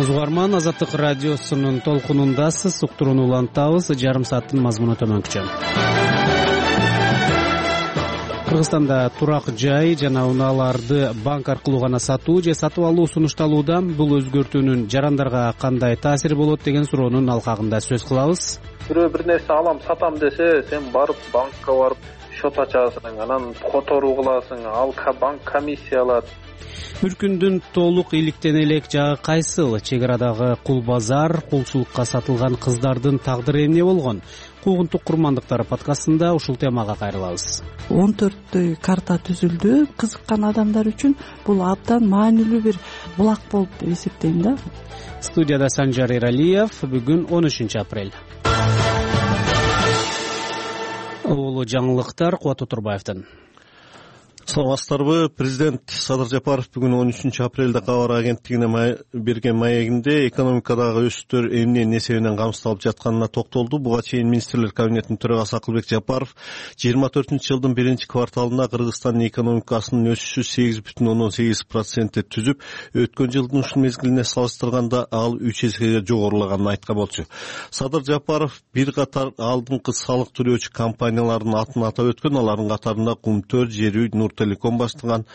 саламатсызбы угарман, Азаттык радиосунун толкунундасыз. Уктурууну улантабыз. Жарым сааттын мазмуну төмөнкүчө. Кыргызстанда турак жай жана унааларды банк аркылуу гана сатуу же сатып алуу сунушталууда. Бул өзгөртүүнүн жарандарга кандай таасири болот деген суроонун алкагында сөз кылабыз. Бирөө бир нерсе алам, сатам десе, сен барып банкка барып счет ачасың, анан которуу кыласың, ал банк комиссия алат. Бир күндүн толук иликтен элек жагы кайсыл? Чек арадагы кул базар, кулчулукка сатылган кыздардын тагдыры эмне болгон? Куугунтук курмандыктар подкастында ушул темага кайрылабыз. 14 карта түзүлдү. Кызыккан адамдар үчүн бул абдан маанилүү бир булак болуп эсептейм да. Студияда Санжар Эралиев. Бүгүн 13 апрель. Улуу жаңылыктар Кубат Отурбаевден. Саламатсыздарбы? Президент Садыр Жапаров бүгүн 13 апрелде кабар агенттигине берген маегинде экономикадагы өсүштөр эмненин эсебинен камсыздалып жатканына токтолду. Буга чейин министрлер кабинетинин төрагасы Акылбек Жапаров 24-жылдын 1-кварталында Кыргызстандын экономикасынын өсүшү 8,8% түзүп, өткөн жылдын ушул мезгилине салыштырганда ал 3 эсеге жогорулаганын айткан болчу. Садыр Жапаров бир катар алдыңкы салык төлөөчү компаниялардын атын атап өткөн. Алардын катарында Кум-4, Жер-үй, Нуртелеком баштаган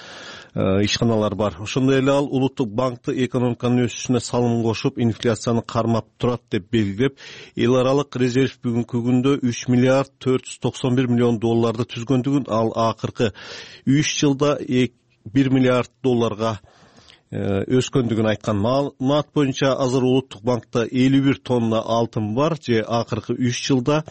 ишканалар бар. Ошондой эле ал улуттук банкты экономиканын өсүшүнө салым кошуп, инфляцияны кармап турат деп белгилеп, эл аралык резерв бүгүнкү күндө 3 миллиард 491 миллион долларды түзгөндүгүн, ал акыркы 3 жылда 1 миллиард долларга өскөндүгүн айткан. Маалымат боюнча азыр улуттук банкта 51 тонна алтын бар, же акыркы 3 жылда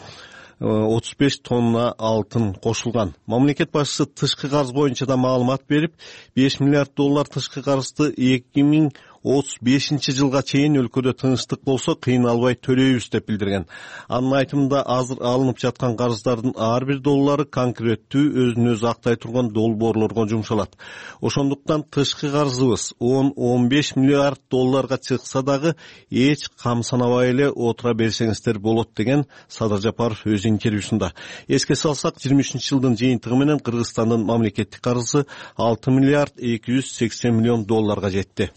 35 тонна алтын кошулган. Мамлекет башчысы тышкы карыз боюнча да маалымат берип, 5 миллиард доллар тышкы карызды 2035 жылга чейин өлкөдө тынчтык болсо кыйналбай төлөйбүз деп билдирген. Анын айтымында азыр алынып жаткан карыздардын ар бир доллары конкреттүү өзүн өзү актай турган долбоорлорго жумшалат. Ошондуктан тышкы карызыбыз 10-15 миллиард долларга чыкса дагы эч кам санабай эле отура берсеңиздер болот деген Садыр Жапаров өз интервьюсунда. Эске салсак, 23-жылдын жыйынтыгы менен Кыргызстандын мамлекеттик карызы 6 миллиард 280 миллион долларга жетти.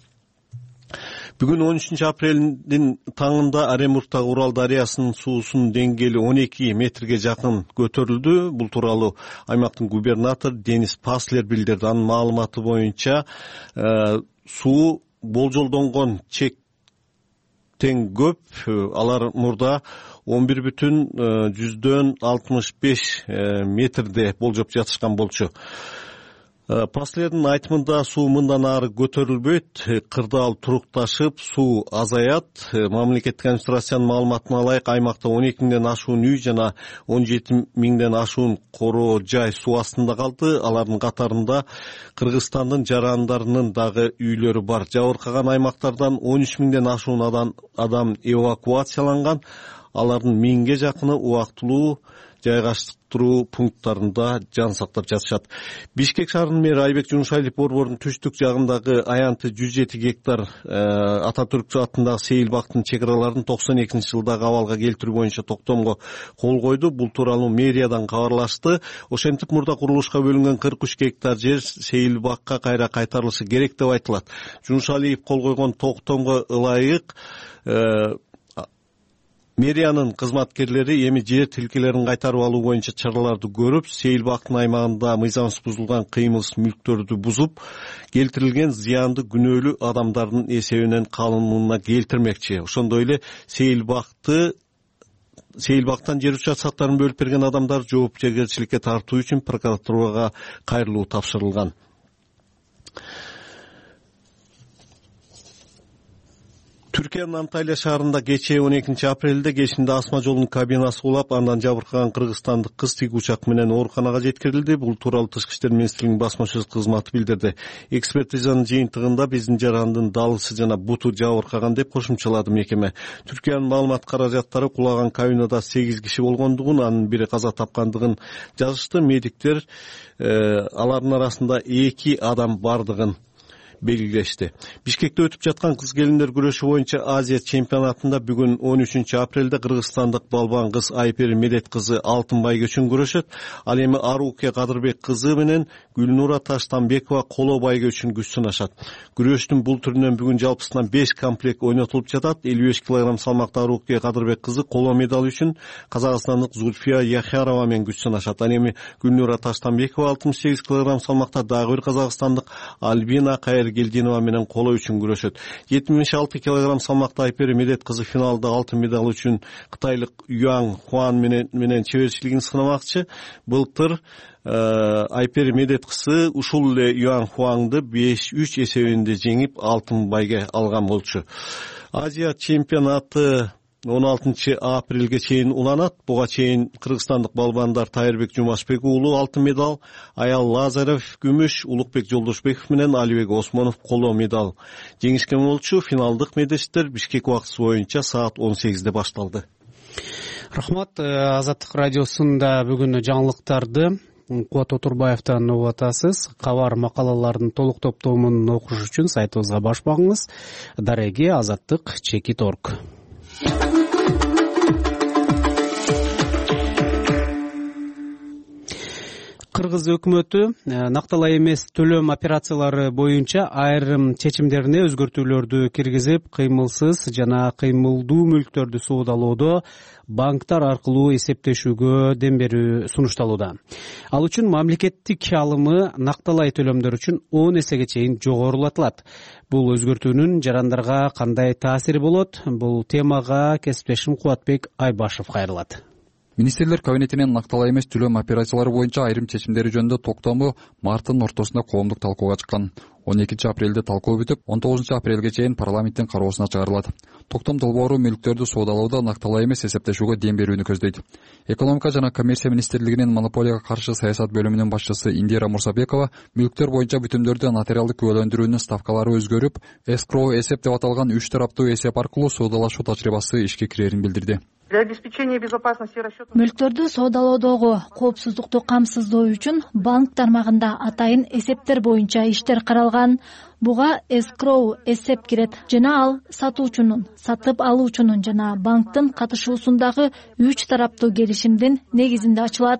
Бүгүн 13 апрелдин таңында Оренбургдагы Урал дарыясынын суусунун деңгээли 12 метрге жакын көтөрүлдү. Бул тууралуу аймактын губернатору Денис Паслер билдирди. Анын маалыматы боюнча суу болжолдонгон чектен көп. Алар мурда 11,65 метрде болжоп жатышкан болчу. Паслердин айтымында суу мындан ары көтөрүлбөйт, кырдаал турукташып, суу азаят. Мамлекеттик администрациянын маалыматына ылайык, аймакта 12 миңден ашуун үй жана 17 миңден ашуун короо жай суу астында калды. Алардын катарында Кыргызстандын жарандарынын дагы үйлөрү бар. Жабыркаган аймактардан 13 миңден ашуун адам эвакуацияланган. Алардын 1000ге жакыны убактылуу жайгаштыруу пункттарында жан сактап жатышат. Бишкек шаарынын мэри Айбек Жумшайлиев борбордун түштүк жагындагы аянты 107 гектар Ататүрк атындагы Сейил бактын чек араларын 92-жылдагы абалга келтирүү боюнча токтомго кол койду. Бул тууралуу мэриядан кабарлашты. Ошентип, мурда курулушка бөлүнгөн 43 гектар жер Сейил бакка кайра кайтарылышы керек деп айтылат. Жумшалиев кол койгон токтомго ылайык мэриянын кызматкерлери эми жер тилкелерин кайтарып алуу боюнча чараларды көрүп, Сейил бактын аймагында мыйзамсыз бузулган кыймылсыз мүлктөрдү бузуп, келтирилген зыянды күнөөлүү адамдардын эсебинен калыбына келтирмекчи. Ошондой эле Сейил бактан жер участкаларын бөлүп берген адамдар жоопкерчиликке тартуу үчүн прокуратурага кайрылуу тапшырылган. Түркиянын Анталия шаарында кечээ 12 апрелде кечинде асма жолунун кабинасы кулап, андан жабыркаган кыргызстандык кыз тик учак менен ооруканага жеткирилди. Бул тууралуу Тышкы иштер министрлигинин басма сөз кызматы билдирди. Экспертизанын жыйынтыгында биздин жарандын далысы жана буту жабыркаган деп кошумчалады мекеме. Түркиянын маалымат каражаттары кулаган кабинада 8 киши болгондугун, анын бири каза тапкандыгын жазышты. Медиктер алардын арасында 2 адам бардыгын белгилешти. Бишкекте өтүп жаткан кыз келиндер күрөшү боюнча Азия чемпионатында бүгүн 13-апрелде кыргызстандык балбан кыз Айпери Медет кызы алтын байгөчүн күрөшөт. Ал эми Аруке Кадырбек кызы менен Гүлнура Таштанбекова коло байгөчүн күч сынашат. Күрөштүн бул түрүнөн бүгүн жалпысынан 5 комплект ойнотулуп жатат. 55 кг салмакта Аруке Кадырбек кызы коло медаль үчүн казакстандык Зульфия Яхярова менен күч сынашат. Ал эми Гүлнура Таштанбекова 68 кг салмакта дагы бир казакстандык Альбина Кайыргелдинова менен коло үчүн күрөшөт. 76 кг салмакта Айпери Медет кызы финалда алтын медаль үчүн кытайлык Юан Хуан менен чеберчилигин сынамакчы. Былтыр Айпери Медет кызы ушул эле Юан Хуаңды 5-3 эсебинде жеңип алтын байге алган болчу. Азия чемпионаты 16-апрелге чейин уланат. Буга чейин кыргызстандык балбандар Тайырбек Жумашбек уулу алтын медаль, Аял Лазарев күмүш, Улукбек Жолдошбеков менен Алибек Осмонов коло медаль жеңишкен болчу. Финалдык медештер Бишкек убактысы боюнча саат 18-де башталды. Рахмат. Азаттык радиосунда бүгүн жаңылыктарды Кубат Отурбаевден угуп атасыз. Кабар макалалардын толук топтомун окуш үчүн сайтыбызга баш багыңыз. Дареги azattik.org. Кыргыз өкмөтү накталай эмес төлөм операциялары боюнча айрым чечимдерине өзгөртүүлөрдү киргизип, кыймылсыз жана кыймылдуу мүлктөрдү соодалоодо банктар аркылуу эсептешүүгө дем берүү сунушталууда. Ал үчүн мамлекеттик алымы накталай төлөмдөр үчүн 10 эсеге чейин жогорулатылат. Бул өзгөртүүнүн жарандарга кандай таасири болот? Бул темага кесиптешим Кубатбек Айбашев кайрылат. Министрлер кабинетинин накталай эмес төлөм операциялары боюнча айрым чечимдери жөнүндө токтому марттын ортосунда коомдук талкууга чыккан. 12-апрелде талкуу бүтүп, 19-апрелге чейин парламенттин кароосуна чыгарылат. Токтом долбоору мүлктөрдү соодалоодо накталай эмес эсептешүүгө дем берүүнү көздөйт. Экономика жана коммерция министрлигинин монополияга каршы саясат бөлүмүнүн башчысы Индира Мурсабекова мүлктөр боюнча бүтүмдөрдү нотариалдык күбөлөндүрүүнүн ставкалары өзгөрүп, эскроу эсеп деп аталган 3 тараптуу эсеп аркылуу соодалашуу тажрыйбасы ишке кирерин билдирди. Для обеспечения безопасности расчетов мүлктөрдү соодалоодогу коопсуздукту камсыздоо үчүн банк тармагында атайын эсептер боюнча иштер каралган. Буга эскроу эсеп кирет жана ал сатуучунун, сатып алуучунун жана банктын катышуусундагы 3 тараптуу келишимдин негизинде ачылат.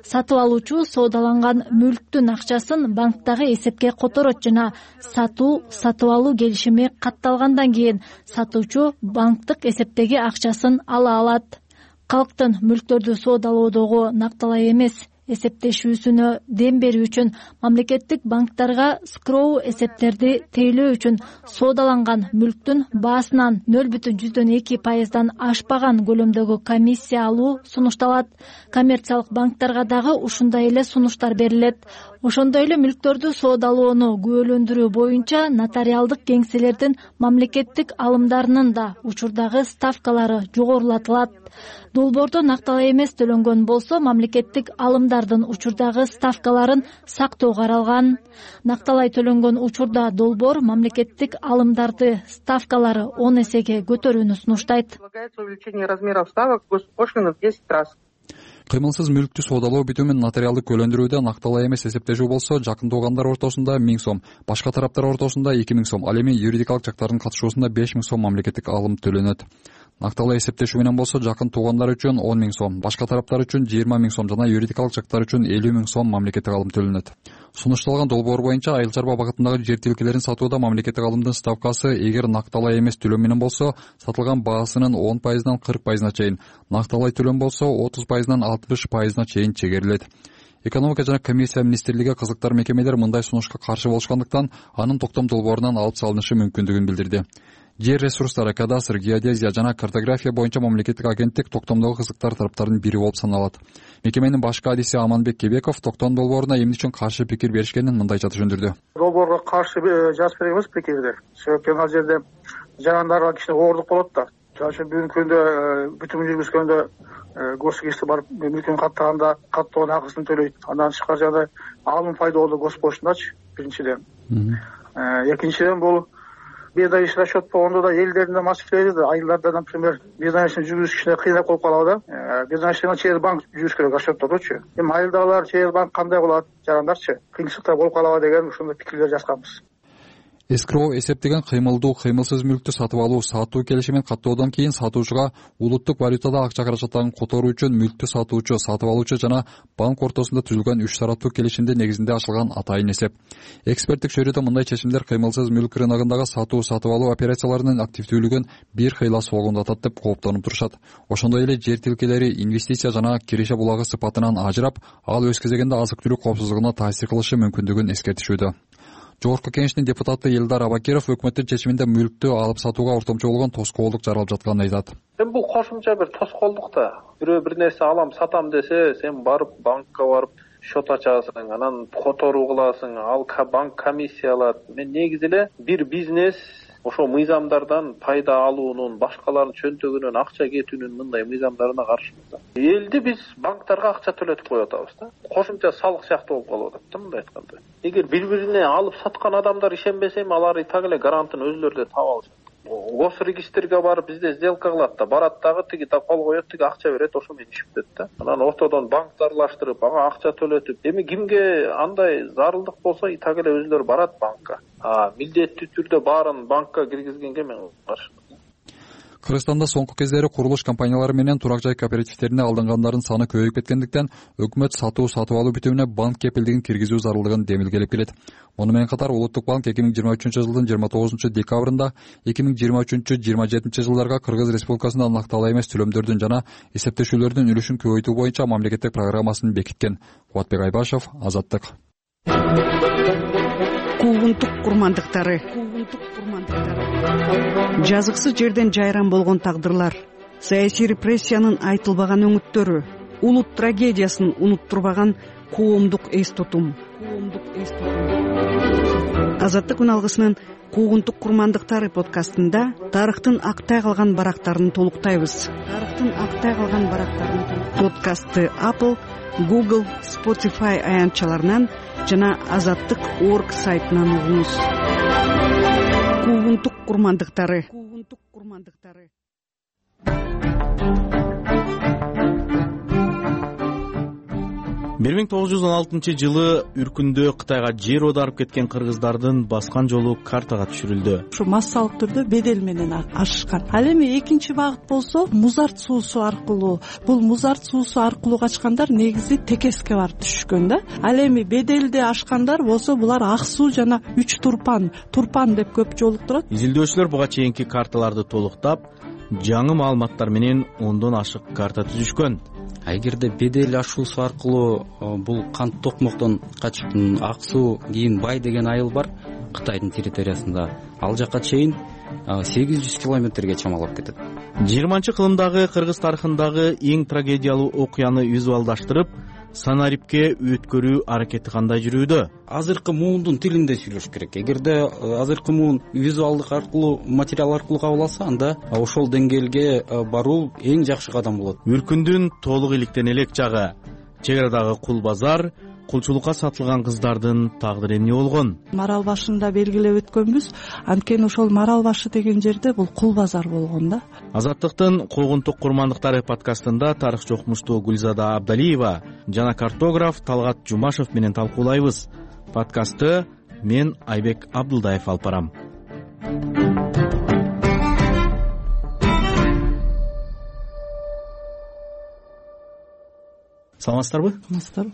Сатып алуучу соодаланган мүлктүн акчасын банктагы эсепке которот жана сатып алуу келишими катталгандан кийин сатуучу банктык эсептеги акчасын ала алат. Калктын мүлктөрдү соодалоодогу накталай эмес эсептешүүсүнө дем берүү үчүн мамлекеттик банктарга скроу эсептерди тейлөө үчүн соодаланган мүлктүн баасынан 0,2% ашпаган көлөмдөгү комиссия алуу сунушталат. Коммерциялык банктарга дагы ушундай эле сунуштар берилет. Ошондой эле мүлктөрдү соодалоону күбөлөндүрүү боюнча нотариалдык кеңселердин мамлекеттик алымдарынын да учурдагы ставкалары жогорулатылат. Долбоордо накталай эмес төлөнгөн болсо, мамлекеттик алымдардын учурдагы ставкаларын сактоо каралган. Накталай төлөнгөн учурда долбоор мамлекеттик алымдарды ставкалары 10 эсеге көтөрүүнү сунуштайт. увеличение размеров ставок госпошлины в 10 раз. Кыймылсыз мүлктү соодалоо бүтүмүн нотариалдык күбөлөндүрүүдө накталай эмес эсептешүү болсо, жакын туугандар ортосунда 1000 сом, башка тараптар ортосунда 2000 сом, ал эми юридикалык жактардын катышуусунда 5000 сом мамлекеттик алым төлөнөт. Накталай эсептешүү менен болсо, жакын туугандар үчүн 10 000 сом, башка тараптар үчүн 20 000 сом жана юридикалык жактар үчүн 50 000 сом мамлекеттик алым төлөнөт. Сунушталган долбоор боюнча айыл чарба багытындагы жер тилкелерин сатууда мамлекеттик алымдын ставкасы эгер накталай эмес төлөм менен болсо, сатылган баасынын 10%-дан 40%-на чейин, накталай төлөм болсо 30%-дан 60%-на чейин чегерилет. Экономика жана коммерция министрлиги кызыктар мекемелер мындай сунушка каршы болушкандыктан анын токтом долбоорунан алып салынышы мүмкүндүгүн билдирди. Жер ресурстары, кадастр, геодезия жана картография боюнча мамлекеттик агенттик токтомдогу кызыктар тараптардын бири болуп саналат. Мекеменин башкы адиси Аманбек Кебеков токтом долбооруна эмне үчүн каршы пикир беришкенин мындайча түшүндүрдү. Долбоорго каршы жазып беребиз пикирди. Себеби ал жерде жарандарга кичине оорлук болот да. Жана бүгүнкү күндө бүтүм жүргүзгөндө госугизге барып мүлкүн каттаганда каттоонун акысын төлөйт. Андан тышкары жана алым пайдалуу госпошлундачы биринчиден. Экинчиден бул безаиш расчет болгондо да элдердин да маселеси да, айылдарда, например, безаишни жүргүзүш кичине кыйынап болуп калабы да. Безаишни через банк жүрүш керек расчеттордучу. Эми айылдагылар через банк кандай болот, жарандарчы кыйынчылыктар болуп калабы деген ушундай пикирлер жазганбыз. эскроу эсеп деген кыймылдуу кыймылсыз мүлктү сатып алуу сатуу келишимин каттоодон кийин сатуучуга улуттук валютада акча каражаттарын которуу үчүн мүлктү сатуучу, сатып алуучу жана банк ортосунда түзүлгөн 3 тараптуу келишимдин негизинде ачылган атайын эсеп. Эксперттик чөйрөдө мындай чечимдер кыймылсыз мүлк рыногундагы сатуу сатып алуу операцияларынын активдүүлүгүн бир кыйла согундатат деп кооптонуп турушат. Ошондой эле жер тилкелери инвестиция жана киреше булагы сыпатынан ажырап, ал өз кезегинде азык-түлүк коопсуздугуна таасир кылышы мүмкүндүгүн эскертишүүдө. Жогорку Кеңештин депутаты Элдар Абакиров өкмөттүн чечиминде мүлктү алып сатууга ортомчу болгон тоскоолдук жаралып жатканын айтат. Бул кошумча бир тоскоолдук да. Бирөө бир нерсе алам, сатам десе, сен барып банкка барып счет ачасың, анан которуу кыласың, ал банк комиссия алат. Мен негизи эле бир бизнес ошо мыйзамдардан пайда алуунун, башкалардын чөнтөгүнөн акча кетүүнүн мындай мыйзамдарына каршымыз да. Элди биз банктарга акча төлөтүп коюп атабыз да. Кошумча салык сыяктуу болуп калып атат да мындай айтканда. Эгер бири-бирине алып саткан адамдар ишенбесе, алар и так эле гарантын өзүлөрү да таап алышат. Госрегистрге барып бизде сделка кылат да, барат дагы тиги да кол коет, тиги акча берет, ошо менен иш бүтөт да. Анан ортодон банкты аралаштырып, ага акча төлөтүп, эми кимге андай зарылдык болсо и так эле өзүлөрү барат банкка. Милдеттүү түрдө баарын банкка киргизгенге мен каршымын. Кыргызстанда соңку кездери курулуш компаниялары менен турак жай кооперативтерине алынгандардын саны көбөйүп кеткендиктен өкмөт сатуу сатып алуу бүтүмүнө банк кепилдигин киргизүү зарылдыгын демилгелеп келет. Муну менен катар Улуттук банк 2023-жылдын 29-декабрында 2023-27 жылдарга Кыргыз Республикасында накталаа эмес төлөмдөрдүн жана эсептешүүлөрдүн үлүшүн көбөйтүү боюнча мамлекеттик программасын бекиткен. Кубатбек Айбашев, Азаттык. Куугунтук курмандыктары. Жазыксыз жерден жайран болгон тагдырлар, саясий репрессиянын айтылбаган өңүттөрү, улут трагедиясын унуттурбаган коомдук эс тутум. Азаттык күн алгысынын Куугунтук курмандыктары подкастында тарыхтын актай калган барактарын толуктайбыз. Подкастты Apple, Google, Spotify аянтчаларынан жана azattyk.org сайтынан угуңуз. Куугунтук курмандыктары. 1916-жылы Үркүндө Кытайга жер оодарып кеткен кыргыздардын баскан жолу картага түшүрүлдү. Ушу массалык түрдө бедел менен ашышкан. Ал эми экинчи багыт болсо Музарт суусу аркылуу. Бул Музарт суусу аркылуу качкандар негизи Текеске барып түшкөн да. Ал эми беделди ашкандар болсо булар Ак суу жана 3 турпан деп көп жолуктурат. Изилдөөчүлөр буга чейинки карталарды толуктап, жаңы маалыматтар менен 10дон ашык карта түзүшкөн. Эгерде бедел ашуусу аркылуу бул кант токмоктон качып Ак суу кийин Бай деген айыл бар Кытайдын территориясында, ал жака чейин 800 километрге чамалап кетет. 20-кылымдагы кыргыз тарыхындагы эң трагедиялуу окуяны визуалдаштырып, Санарипке өткөрүү аракети кандай жүрүүдө? Азыркы муундун тилинде сүйлөш керек. Эгерде азыркы муун визуалдык аркылуу, материал аркылуу кабыл алса, анда ошол деңгээлге баруу эң жакшы кадам болот. Үркүндүн толук иликтен элек жагы, чек арадагы кул базар, кулчулукка сатылган кыздардын тагдыры эмне болгон? Марал башында белгилеп өткөнбүз, анткени ошол Марал башы деген жерде бул кул базар болгон да. Азаттыктын Куугунтук курмандыктары подкастында тарыхчы окумуштуу Гүлзада Абдалиева жана картограф Талгат Жумашев менен талкуулайбыз. Подкастты мен Айбек Абдылдаев алып барам. Саламатсыздарбы?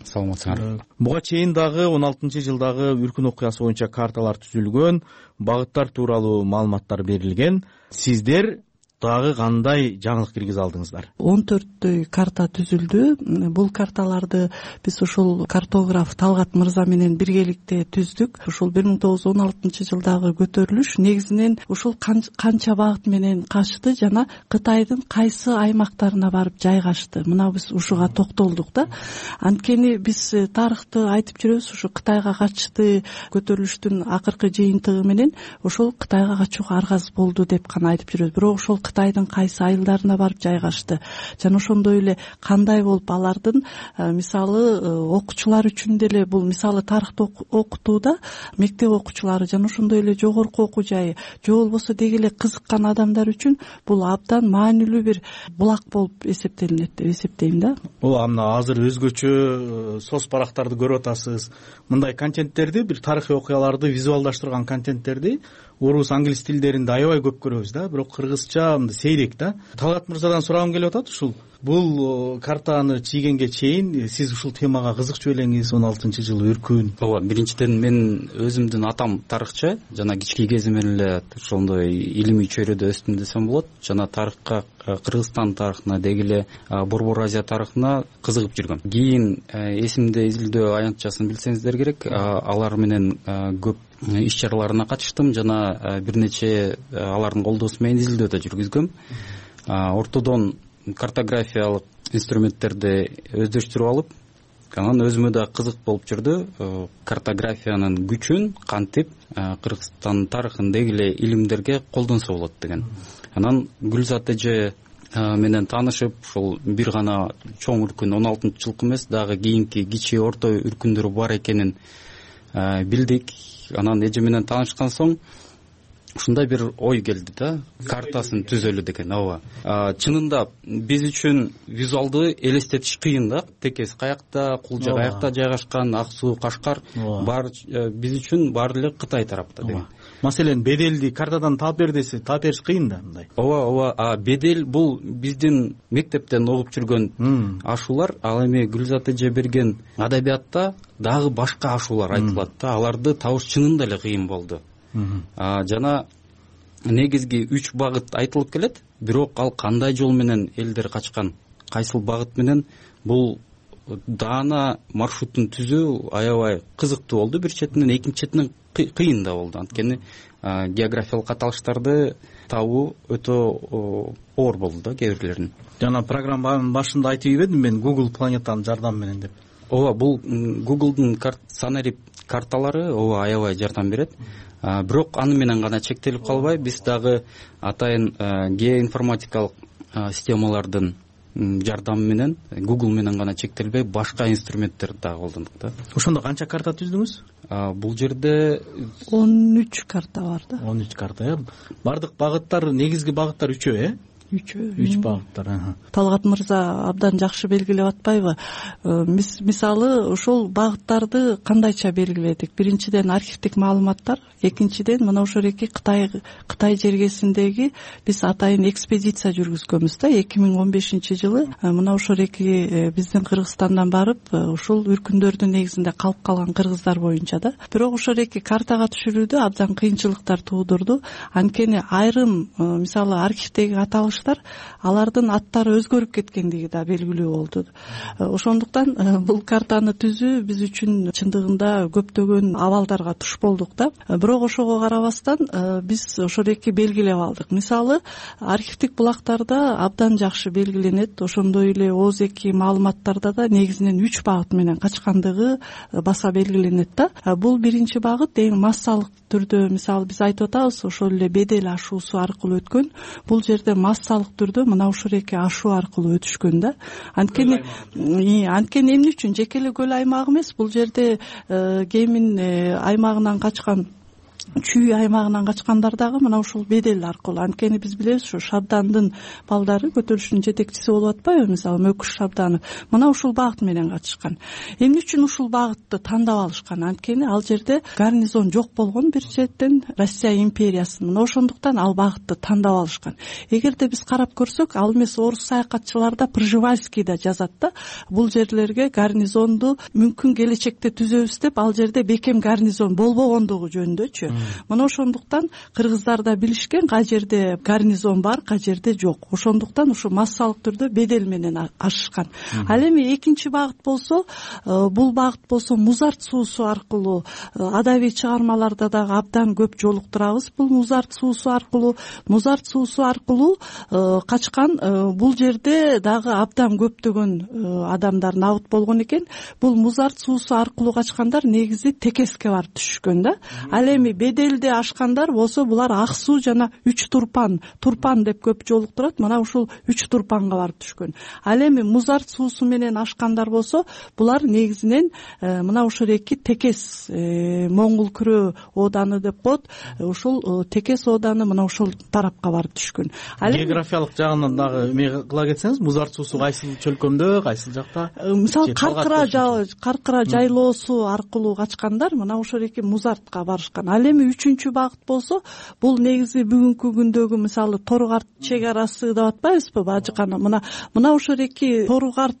Саламатсыздар. Буга чейин дагы 16-жылдагы Үркүн окуясы боюнча карталар түзүлгөн, багыттар тууралуу маалыматтар берилген. Сиздер дагы кандай жаңылык киргизе алдыңыздар? 14 карта түзүлдү. Бул карталарды биз ушул картограф Талгат мырза менен биргеликте түздүк. Ушул 1916-жылдагы көтөрүлүш негизинен ушул канча багыт менен качты жана Кытайдын кайсы аймактарына барып жайгашты. Мына биз ушуга токтолдук да. Анткени биз тарыхты айтып жүрөбүз, ушу Кытайга качты көтөрүлүштүн акыркы жыйынтыгы менен ошол Кытайга качууга аргасыз болду деп гана айтып жүрөбүз. Бирок ошол Кытайдын кайсы айылдарына барып жайгашты жана ошондой эле кандай болуп алардын мисалы окуучулар үчүн деле бул мисалы тарыхты окутууда мектеп окуучулары жана ошондой эле жогорку окуу жайы же болбосо деги эле кызыккан адамдар үчүн бул абдан маанилүү бир булак болуп эсептелинет деп эсептейм да. ооба, мына азыр өзгөчө соц барактарды көрүп атасыз. Мындай контенттерди, бир тарыхый окуяларды визуалдаштырган контенттерди орус, англис тилдеринде аябай көп көрөбүз да, бирок кыргызча мындай сейрек да. Талгат мырзадан сурагым келип атат ушул. Бул картаны чийгенге чейин сиз ушул темага кызыкчу элеңиз, 16-жылы үркүн. Ооба, биринчиден мен өзүмдүн атам тарыхчы, жана кички кезимден эле ошондой илимий чөйрөдө өстүм десем болот. Жана тарыхка, Кыргызстан тарыхына, деги эле Борбор Азия тарыхына кызыгып жүргөм. Кийин эсимде изилдөө аянтчасын билсеңиздер керек, алар менен көп иш чараларына катыштым жана бир нече алардын колдоосу менен изилдөө да жүргүзгөм. Ортодон картографиялык инструменттерди өздөштүрүп алып, анан өзүмө да кызык болуп жүрдү картографиянын күчүн кантип Кыргызстандын тарыхын деги эле илимдерге колдонсо болот деген. Анан Гүлзат эже менен таанышып, ушул бир гана чоң үркүн 16-жылкы эмес, дагы кийинки кичи орто үркүндөр бар экенин билдик. Анан эже менен таанышкан соң ушундай бир ой келди да, картасын түзөлү деген. Ооба. Чынында биз үчүн визуалды элестетиш кыйын да. Текес каякта, Кулжа каякта жайгашкан, Ак суу, Кашкар бар биз үчүн баары эле Кытай тарапта деген. Маселен, беделди картадан таап бер десе, таап бериш кыйын да мындай. Ооба. Бедел бул биздин мектептен окуп жүргөн ашуулар. Ал эми Гүлзат эже берген адабиятта дагы башка ашуулар айтылат да. Аларды табыш чынында эле кыйын болду. Жана негизги 3 багыт айтылып келет, бирок ал кандай жол менен элдер качкан, кайсыл багыт менен, бул даана маршрутун түзүү аябай кызыктуу болду бир четинен, экинчи четинен кыйын да болду. Анткени географиялык каталыштарды табуу өтө оор болду да кээ бирлерин. Жана программанын башында айтып ийбедим мен Google планетанын жардамы менен деп. Ооба, бул Google'дун санарип карталары аябай жардам берет. Бирок аны менен гана чектелип калбай, биз дагы атайын геоинформатикалык системалардын жардамы менен, Google менен гана чектелбей, башка инструменттерди дагы колдондук да. Ошондо канча карта түздүңүз? Бул жерде 13 карта бар да. 13 карта, бардык багыттар, негизги багыттар 3 3 багыттар. Талгат мырза абдан жакшы белгилеп атпайбы? Мисалы ошол багыттарды кандайча белгиледик? Биринчиден архивдик маалыматтар, экинчиден мына ошол эки Кытай жергесиндеги биз атайын экспедиция жүргүзгөнбүз да 2015-жылы. Мына ошол эки биздин Кыргызстандан барып, ушул үркүндөрдүн негизинде калып калган кыргыздар боюнча да. Бирок ошол эки картага түшүрүүдө абдан кыйынчылыктар туудурду. Анткени айрым мисалы архивдеги аталыш алардын аттары өзгөрүп кеткендиги да белгилүү болду. Ошондуктан бул картаны түзүү биз үчүн чындыгында көптөгөн абалдарга туш болдук да. Бирок ошого карабастан биз ошол эки белгилеп алдык. Мисалы, архивдик булактарда абдан жакшы белгиленет, ошондой эле ооз-2 маалыматтарда да негизинен 3 багыт менен качкандыгы баса белгиленет да. Бул биринчи багыт эң массалык түрдө, мисалы биз айтып атабыз, ошол эле бедел ашуусу аркылуу өткөн. Бул жерде массалык түрдө мына ушул эки ашуу аркылуу өтүшкөн да. Анткени эмне үчүн жеке эле көл аймагы эмес, бул жерде Кемин аймагынан качкан, Чүй аймагынан качкандар дагы мына ушул бедел аркылуу. Анткени биз билебиз, ушу Шабдандын балдары көтөрүлүштүн жетекчиси болуп атпайбы, мисалы Мөкүш Шабданов. Мына ушул багыт менен катышкан. Эмне үчүн ушул багытты тандап алышкан? Анткени ал жерде гарнизон жок болгон бир четтен Россия империясынын. Мына ошондуктан ал багытты тандап алышкан. Эгерде биз карап көрсөк, ал эмес орус саякатчылар да Пржевальский да жазат да, бул жерлерге гарнизонду мүмкүн келечекте түзөбүз деп, ал жерде бекем гарнизон болбогондугу жөнүндөчү. Мына ошондуктан кыргыздар да билишкен, кай жерде гарнизон бар, кай жерде жок. Ошондуктан ушу массалык түрдө бедел менен ашышкан. Ал эми экинчи багыт болсо, бул багыт болсо Музарт суусу аркылуу, адабий чыгармаларда дагы абдан көп жолуктурабыз. Бул Музарт суусу аркылуу качкан. Бул жерде дагы абдан көптөгөн адамдар набыт болгон экен. Бул Музарт суусу аркылуу качкандар негизи Текеске барып түшүшкөн да. Ал эми беделди ашкандар болсо булар ак суу жана 3 турпан деп көп жолуктурат, мына ушул 3 турпанга барып түшкөн. Ал эми музарт суусу менен ашкандар болсо булар негизинен мына ушул эки Текес Моңгул күрөө ооданы деп коет, ушул Текес ооданы мына ушул тарапка барып түшкөн. Географиялык жагынан дагы эме кыла кетсеңиз, музарт суусу кайсыл чөлкөмдө, кайсыл жакта? Мисалы Каркыра жайлоосу аркылуу качкандар мына ошол эки музартка барышкан. Ал эми 3-чү багыт болсо бул негизи бүгүнкү күндөгү мисалы Торукарт чек арасы деп атпайбызбы, бажыкана мына ошол эки Торукарт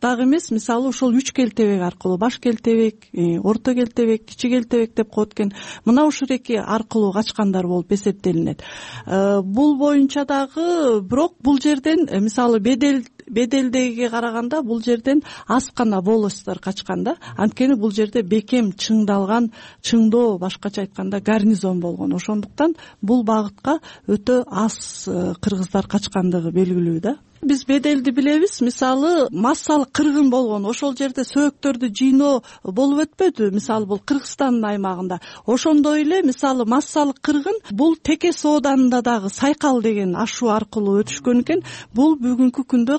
дагы эмес, мисалы ушул 3 келтебек аркылуу, баш келтебек, орто келтебек, кичи келтебек деп коет экен. Мына ушул эки аркылуу качкандар болуп эсептелинет. Бул боюнча дагы бирок бул жерден мисалы беделдеге караганда бул жерден аз гана волостьтор качкан да. Анткени бул жерде бекем чыңдоо, башкача айтканда гарнизон болгон. Ошондуктан бул багытка өтө аз кыргыздар качкандыгы белгилүү да. Биз беделди билебиз, мисалы массалык кыргын болгон, ошол жерде сөөктөрдү жыйноо болуп өтпөдү, мисалы бул Кыргызстандын аймагында. Ошондой эле мисалы массалык кыргын бул Текес ооданында дагы Сайкал деген ашуу аркылуу өтүшкөн экен. Бул бүгүнкү күндө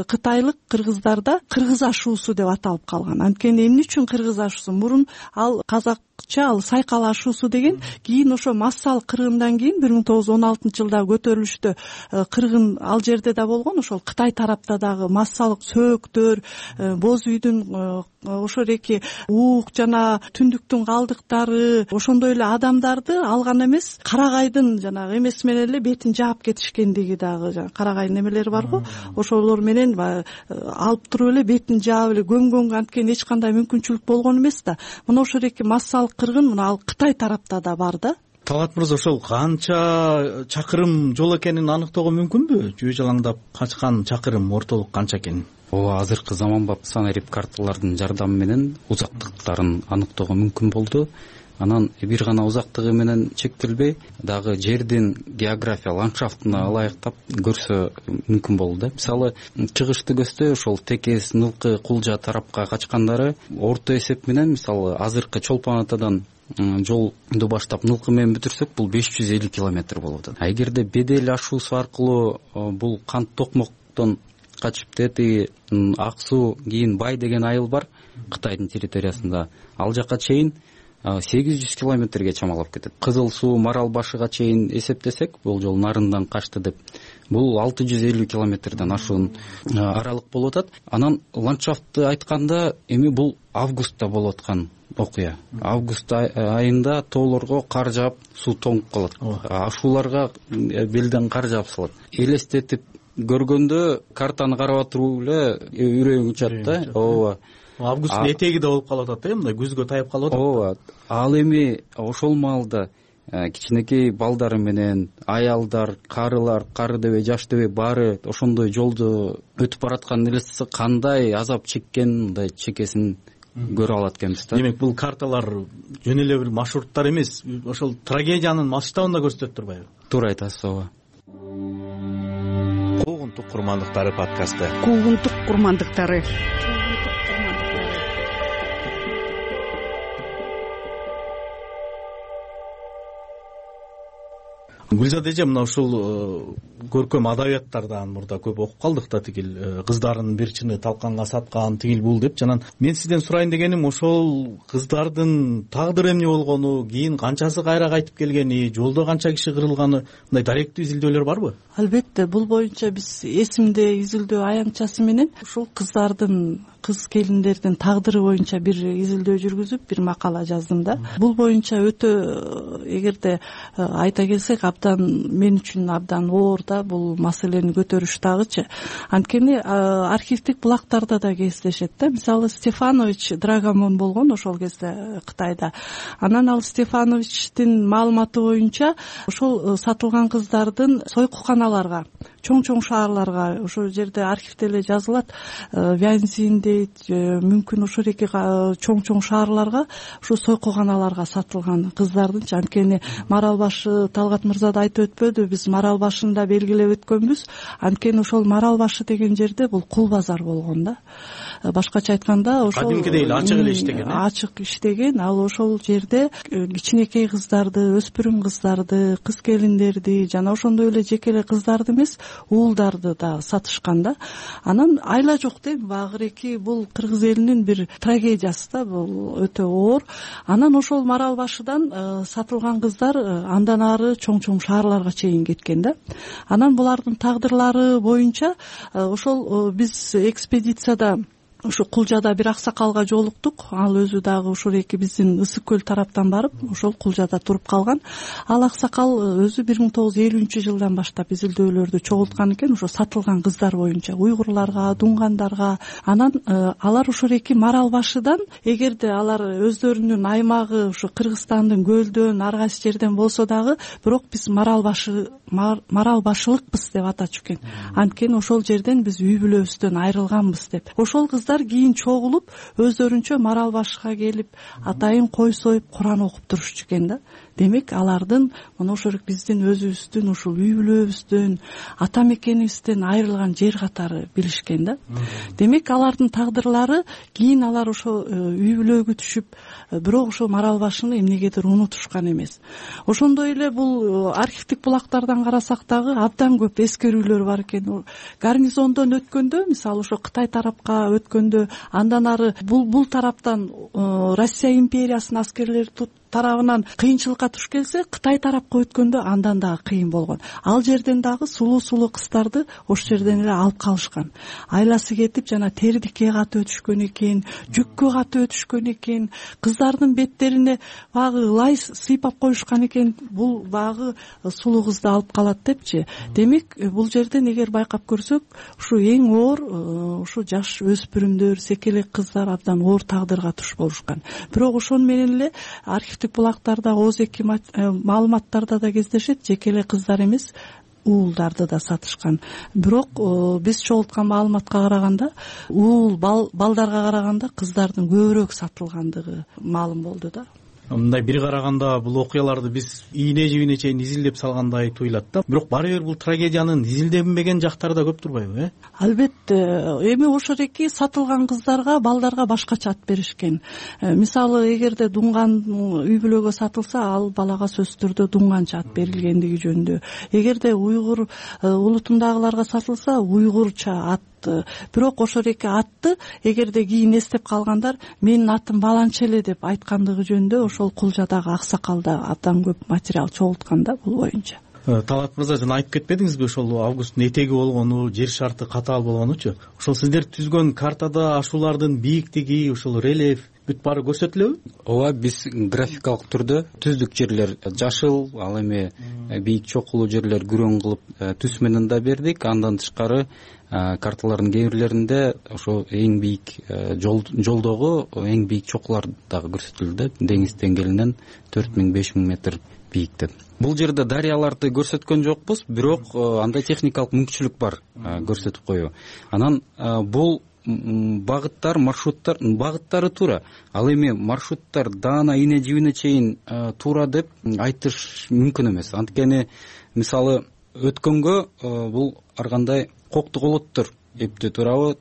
кытайлык кыргыздарда кыргыз ашуусу деп аталып калган. Анткени эмне үчүн кыргыз ашуусу? Мурун ал казакча ал Сайкал ашуусу деген, кийин ошо массалык кыргындан кийин 1916-жылда көтөрүлүштө кыргын ал жерде да болгон. Ошол Кытай тарапта дагы массалык сөөктөр, боз үйдүн ошол эки уук жана түндүктүн калдыктары, ошондой эле адамдарды алган эмес, карагайдын жанагы эмеси менен эле бетин жаап кетишкендиги дагы, карагайдын эмелери барго, ошолор менен алып туруп эле бетин жаап эле көмгөнгө анткени эч кандай мүмкүнчүлүк болгон эмес да. Мына ошол эки массалык кыргын мына ал Кытай тарапта да бар да. Талгат мырза, ошол канча чакырым жол экенин аныктоого мүмкүнбү? Жөө жалаңдап качкан чакырым ортолук канча экенин? Ооба, азыркы заманбап санарип карталардын жардамы менен узактыктарын аныктоого мүмкүн болду. Анан бир гана узактыгы менен чектелбей, дагы жердин география ландшафтына ылайыктап көрсө мүмкүн болду да. Мисалы, чыгышты көздөй ошол Текес, Нылкы, Кулжа тарапка качкандары орто эсеп менен, мисалы, азыркы Чолпон Атадан жолду баштап Нылкы менен бүтүрсөк, бул 550 километр болуп атат. Эгерде бедел ашуусу аркылуу бул кант токмоктон качып тети Ак суу, кийин Бай деген айыл бар Кытайдын территориясында, ал жака чейин 800 километрге чамалап кетет. Кызыл суу, Марал башыга чейин эсептесек, бул жол нарындан качты деп, бул 650 километрден ашуун аралык болуп атат. Анан ландшафтты айтканда, эми бул августта болуп аткан окуя. Август айында тоолорго кар жаап, суу тоңуп калат. Ашууларга белден кар жаап салат. Элестетип көргөндө картаны карап туруп эле үрөйүң учат да. Ооба. Августтун этеги да болуп калып атат, мындай күзгө таяп калып атат. Ооба. Ал эми ошол маалда кичинекей балдары менен аялдар, карылар, кары дебей, жаш дебей баары ошондой жолду өтүп бараткан элестесе кандай азап чеккен, мындай чекесин көрө алат экенбиз да. Демек, бул карталар жөн эле бир маршруттар эмес, ошол трагедиянын масштабын да көрсөтөт турбайбы? Туура айтасыз, ооба. Куугунтук курмандыктары подкасты. Куугунтук курмандыктары. Гүлзада эже, мына ушул көркөм адабияттардан мурда көп окуп калдык да, тигил кыздардын бир чыны талканга саткан, тигил бул деп. Жанан мен сизден сурайын дегеним, ошол кыздардын тагдыры эмне болгону, кийин канчасы кайра кайтып келгени, жолдо канча киши кырылганы, мындай даректүү изилдөөлөр барбы? Албетте, бул боюнча биз эсимде изилдөө аянтчасы менен ушул кыздардын, кыз келиндердин тагдыры боюнча бир изилдөө жүргүзүп, бир макала жаздым да. Бул боюнча өтө, эгерде айта келсек, мен үчүн абдан оор да бул маселени көтөрүш дагычы. Анткени архивдик булактарда да кездешет да. Мисалы, Стефанович Драгомон болгон ошол кезде Кытайда. Анан ал Стефановичтин маалыматы боюнча ошол сатылган кыздардын сойкуканаларга чоң шаарларга, ошол жерде архивде эле жазылат, Вянзин дейт, мүмкүн ошол эки чоң шаарларга ушу сойкуганаларга сатылган кыздардынчы. Анткени Марал башы Талгат мырза да айтып өтпөдү, биз Марал башында белгилеп өткөнбүз. Анткени ошол Марал башы деген жерде бул кул базар болгон да. Башкача айтканда ошол кадимкидей эле ачык эле иштеген. Ачык иштеген. Ал ошол жерде кичинекей кыздарды, өспүрүм кыздарды, кыз келиндерди жана ошондой эле жеке эле кыздарды эмес, уулдарды да сатышкан да. Анан айла жок дейм, багыреки бул кыргыз элинин бир трагедиясы да, бул өтө оор. Анан ошол Марал башыдан сатылган кыздар андан ары чоң шаарларга чейин кеткен да. Анан булардын тагдырлары боюнча ошол биз экспедицияда ушу Кулжада бир аксакалга жолуктук. Ал өзү дагы ушул эки биздин Ысык көл тараптан барып, ошол Кулжада туруп калган. Ал аксакал өзү 1950-жылдан баштап изилдөөлөрдү чогулткан экен, ошо сатылган кыздар боюнча уйгурларга, дунгандарга. Анан алар ушул эки Марал башыдан, эгерде алар өздөрүнүн аймагы ушу Кыргызстандын көлдөн, ар кайсы жерден болсо дагы, бирок биз Марал башылыкпыз деп атачу экен. Анткени ошол жерден биз үй бүлөбүздөн айрылганбыз деп. Ошол кыздар кийин чогулуп өздөрүнчө Марал башыга келип, атайын кой союп, Куран окуп турушчу экен да. Демек алардын мына ошол биздин өзүбүздүн ушул үй бүлөбүздөн, ата мекенибизден айрылган жер катары билишкен да. Демек алардын тагдырлары кийин алар ошо үй бүлөгө түшүп, бирок ошо Марал башыны эмнегедир унутушкан эмес. Ошондой эле бул архивдик булактардан карасак дагы абдан көп эскерүүлөр бар экен. Гарнизондон өткөндө, мисалы ошо Кытай тарапка өткөндө, андан ары бул тараптан Россия империясынын аскерлери тарабынан кыйынчылыкка туш келсе, Кытай тарапка өткөндө андан дагы кыйын болгон. Ал жерден дагы сулуу кыздарды ошол жерден эле алып калышкан. Айласы кетип, жана тердикке катып өтүшкөн экен, жүккө катып өтүшкөн экен, кыздардын беттерине багы лай сыйпап коюшкан экен. Бул багы сулуу кызды алып калат депчи. Демек, бул жерден эгер байкап көрсөк, ушу эң оор ушу жаш өспүрүмдөр, секелек кыздар абдан оор тагдырга туш болушкан. Бирок ошону менен эле булактарда, ооз-эки маалыматтарда да кездешет, жеке эле кыздар эмес, уулдарды да сатышкан. Бирок биз чогулткан маалыматка караганда, уул балдарга караганда кыздардын көбүрөөк сатылгандыгы маалым болду да. Мындай бир караганда бул окуяларды биз ийне жибине чейин изилдеп салгандай туюлат да. Бирок баары бир бул трагедиянын изилденбеген жактары да көп турбайбы, Албетте. Эми ошол эки сатылган кыздарга, балдарга башкача ат беришкен. Мисалы, эгерде дунган үй бүлөгө сатылса, ал балага сөзсүз түрдө дунганча ат берилгендиги жөнүндө. Эгерде уйгур улутундагыларга сатылса, уйгурча ат. Бирок ошол эки атты эгерде кийин эстеп калгандар, менин атым баланча эле деп айткандыгы жөнүндө ошол Кулжадагы аксакалда абдан көп материал чогулткан да бул боюнча. Талгат мырза, жана айтып кетпедиңизби ошол августтун этеги болгону, жер шарты катаал болгонучу? Ошол сиздер түзгөн картада ашуулардын бийиктиги, ошол рельеф бүт баары көрсөтүлөбү? Ооба, биз графикалык түрдө түздүк жерлер жашыл, ал эми бийик чокулуу жерлер күрөң кылып түс менен да бердик. Андан тышкары карталардын кээ бирлеринде ошо эң бийик жолдогу эң бийик чокулар дагы көрсөтүлдү. Деңиз деңгээлинен 4000-5000 метр бийикте. Бул жерде дарыяларды көрсөткөн жокпуз, бирок андай техникалык мүмкүнчүлүк бар көрсөтүп коюу. Анан бул багыттар, маршруттар, багыттары туура. Ал эми маршруттар даана ийне жибине чейин туура деп айтыш мүмкүн эмес. Анткени мисалы өткөнгө бул ар кандай кокту колоттор эптеп турабы,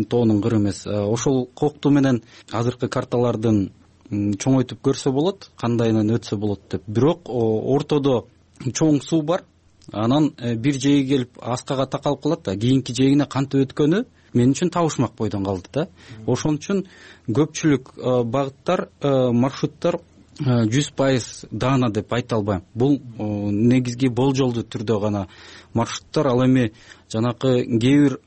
тоонун кыры эмес. Ошол кокту менен азыркы карталардын чоңойтуп көрсө болот, кандайынан өтсө болот деп. Бирок ортодо чоң суу бар. Анан бир жээги келип аскага такалып калат да, кийинки жээгине кантип өткөнү мен үчүн табышмак бойдон калды да. Ошон үчүн көпчүлүк багыттар, маршруттар 100% даана деп айта албайм. Бул негизги болжолдуу түрдө гана маршруттар. Ал эми жанакы кээ бир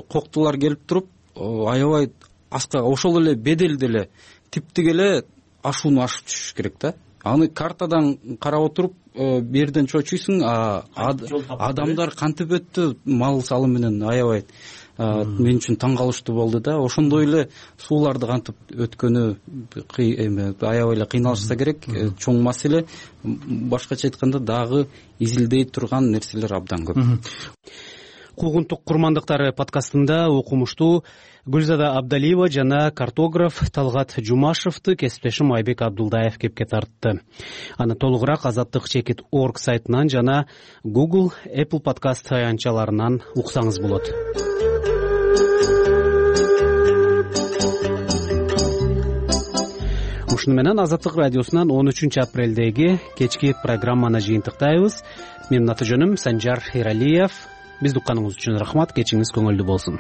коктулар келип туруп, аябай аскага ошол эле беделде эле типтик эле ашууну ашып түшүш керек да. Аны картадан карап отуруп берден чочуйсуң, адамдар кантип өттү, мал салы менен аябай мен үчүн таң калыштуу болду да. Ошондой эле сууларды кантип өткөнү аябай эле кыйналышса керек, чоң маселе. Башкача айтканда дагы изилдей турган нерселер абдан көп. куугунтук курмандыктары подкастында окумуштуу Гүлзада Абдалиева жана картограф Талгат Жумашевду кесиптешим Айбек Абдулдаев кепке тартты. Аны толугураак azatlyk.org сайтынан жана Google, Apple подкаст аянтчаларынан уксаңыз болот. Ушуну менен Азаттык радиосунан 13 апрелдеги кечки программаны жыйынтыктайбыз. Менин аты жөнүм Санжар Эралиев. Бизди укканыңыз үчүн рахмат. Кечиңиз көңүлдүү болсун.